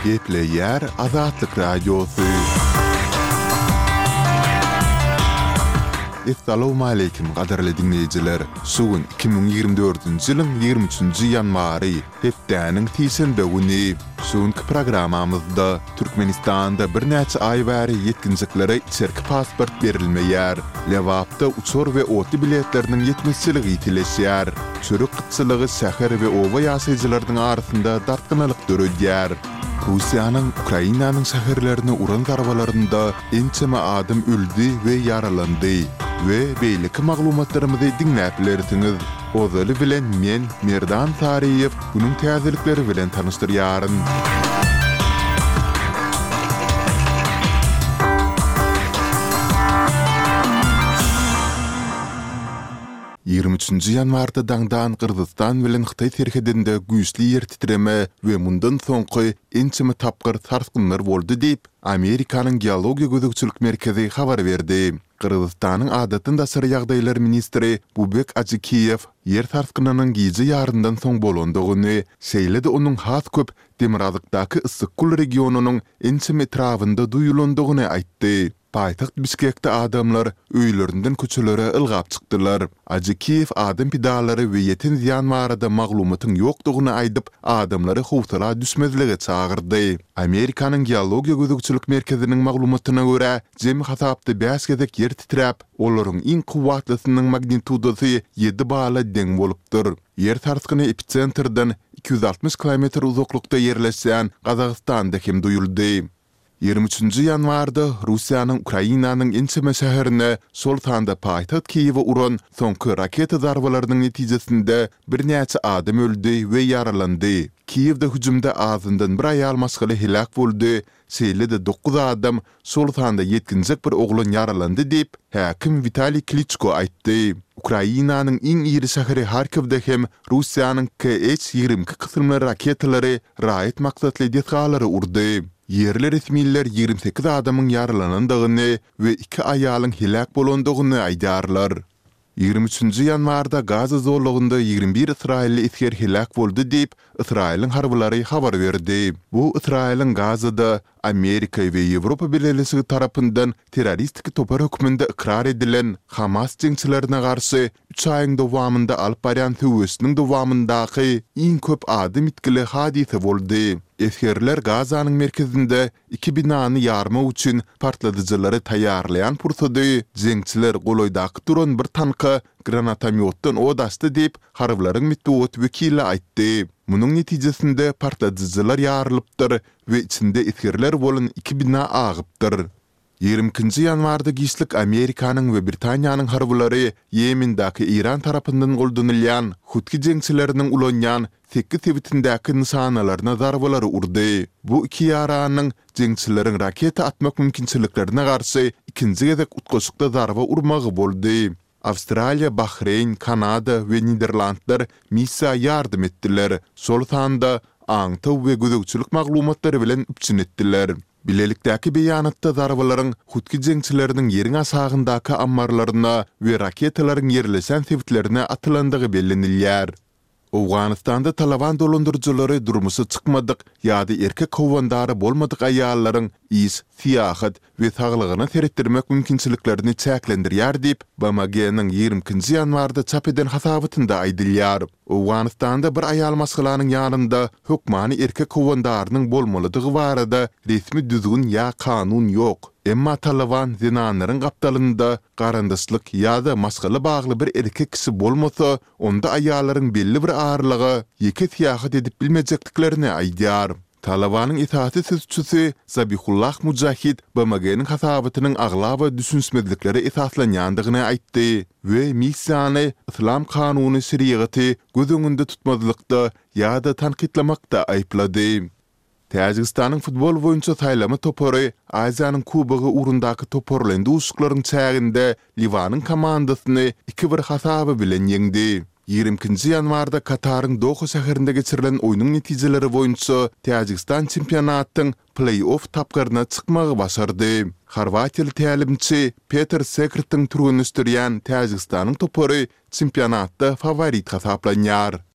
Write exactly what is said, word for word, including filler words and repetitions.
Gepleýär Azatlyk Radiosy. Essalawmaleýkim gadyrly diňleýjiler! Şu gün iki müň ýigrimi dördünji ýylyň ýigrimi üçünji ýanwary, hepdäniň sişenbe güni. Şu günki programmamyzda Türkmenistanda birnäçe aý bäri ýetginjeklere içerki pasport berilmeýär. Lebapda uçar we otly biletleriniň ýetmezçiligi ýitileşýär. Çörek gytçylygy şäher we oba ýaşaýjylarynyň arasynda dartgynlylyk döredýär. Russiýanyň Ukrainanyň şäherlerine uran zarbalarynda ençeme adam öldi we ýaralandy we beýleki maglumatlarymyzy diňläp bilersiňiz. Ozaly bilen men, Merdan Saryýew, günüň täzelikleri bilen tanyşdyrýaryn. Ýigrimi üçünji ýanwarda daňdan Gyrgyzystan bilen Hytaý serhedinde güýçli ýer titreme we mundan soňky ençeme tapgyr sarsgynlar boldy diýip, Amerikanyň Geologiýa gözegçilik merkezi habar berdi. Gyrgyzystanyň adatdan daşary ýagdaýlar ministri Bubek Ajikiýew ýer sarsgynynyň gije ýaryndan soň bolandygyny, şeýle-de onuň has köp demirgazykdaky Yssyk-Kul regionynyň ençeme etrabynda duýulandygyny aýtdy. Paýtagt Bişkekde adamlar öýlerinden köçelere ylgap çykdylar. Ajikiýew adam pidalary we ýeten zyýan barada maglumatyň ýokdugyny aýdyp, adamlary howsala düşmezlige çagyrdy. Amerikanyň Geologiýa gözegçilik merkeziniň maglumatyna görä, jemi hasapda bäş gezek ýer titräp, olaryň iň kuwwatlysynyň magnitudasy ýedi bala deň bolupdyr. Ýer sarsgyny episentrden iki ýüz altmyş kilometr uzaklykda ýerleşýän Gazagystanda hem duýuldy. Ýigrimi üçünji ýanwarda Russiýanyň Ukrainanyň ençeme şäherine, şol sanda paýtagt Kiýewe uran soňky raketa zarbalarynyň netijesinde birnäçe adam öldi we ýaralandy. Kiýewde hüjümde azyndan bir aýal maşgala heläk boldy, şeýle-de dokuz adam, şol sanda ýetginjek bir oglan ýaralandy diýip, häkim Witaliý Kliçko aýtdy. Ukrainanyň iň iri şäheri Harkiwde hem Russiýanyň KH ýigrimi iki kysymly raketalary raýat maksatly desgalary urdy. Ýerli resmiler ýigrimi sekiz adamyň ýaralanandygyny we iki aýalyň heläk bolandygyny aýdýarlar. Ýigrimi üçünji ýanwarda Gaza zolagynda ýigrimi bir ysraýylly esger heläk boldy diýip, Ysraýylyň harbylary habar berdi. Bu Ysraýylyň Gazada Amerika we Ýewropa Bileleşigi tarapyndan terroristik topar hökmünde ykrar edilen Hamas jeňçilerine garşy üç aýyň dowamynda alyp barýan söweşiniň dowamyndaky iň köp adam ýitgili hadysa boldy. Esgerler Gazanyň merkezinde iki binany ýarmak üçin partladyjylary taýýarlaýan pursady jeňçiler golaýdaky duran bir tanka granatomýotdan ot açdy diýip, harbylaryň metbugat wekili aýtdy. Munuň netijesinde partladyjylar ýarylypdyr we içinde esgerler bolan iki bina agypdyr. Ýigrimi ikinji ýanwarda giçlik Amerikanyň we Britaniýanyň harbylary Ýemendäki Eýran tarapyndan goldanylýan Hutgi jeňçileriniň ulanýan sekiz sebitindäki nyşanalaryna zarbalary urdy. Bu iki ýaranyň jeňçileriň raketa atmak mümkinçiliklerine garşy ikinji gezek utgaşykda zarba urmagy boldy. Awstraliýa, Bahreýn, Kanada we Niderlandlar missiýa ýardam etdiler, şol sanda aňtaw we gözegçilik maglumatlary bilen üpjün etdiler. Bilelikdäki beýanatda zarbalaryň hutgi jeňçileriniň ýeriň aşagyndaky ammarlaryna we raketalaryň ýerleşen sebitlerine atylandygy bellenilýär. Owganystanda Talaban dolandyryjylary durmuşa çykmadyk ýa-da erkek howandary bolmadyk aýallaryň iş, syýahat we saglygyna seretdirmek mümkinçiliklerini çäklendirýär diýip, BMG-niň ýigrimi ikinji ýanwarda çap eden hasabatynda aýdylýar. Owganystanda bir aýal maşgalanyň ýanynda hökmany erkek howandarynyň bolmalydygy barada resmi düzgün ýa kanun ýok. Emma Talyban zenanlaryň gapdalynda garyndaşlyk ýa-da maşgala bagly bir erkek kişi bolmasa, onda aýallaryň belli bir aralyga ýeke syýahat edip bilmejekdiklerini aýdýar. Talybanyň esasy sözçüsi Zabihullah Mujahid BMG-niň hasabatynyň aglaba düşünişmezliklere esaslanýandygyny aýtdy we missiýany yslam kanuny şerigaty göz öňünde tutmazlykda ýa-da tankytlamakda aýyplady. Täjigistanyň futbol boýunça saýlama topary Aziýanyň Kubogy ugrundaky toparlaýyn duşuşyklaryň çäginde Liwanyň komandasyny iki bir hasaby bilen ýeňdi. Ýigrimi ikinji ýanwarda Kataryň Doha şäherinde geçirilen oýnuň netijeleri boýunça Täjigistan çempionatyň pleý-off tapgyryna çykmagy başardy. Horwatiýaly tälimçi Peter Sekrtiň türgenleşdirýän Täjigistanyň topary çempionatda faworit hasaplanýar.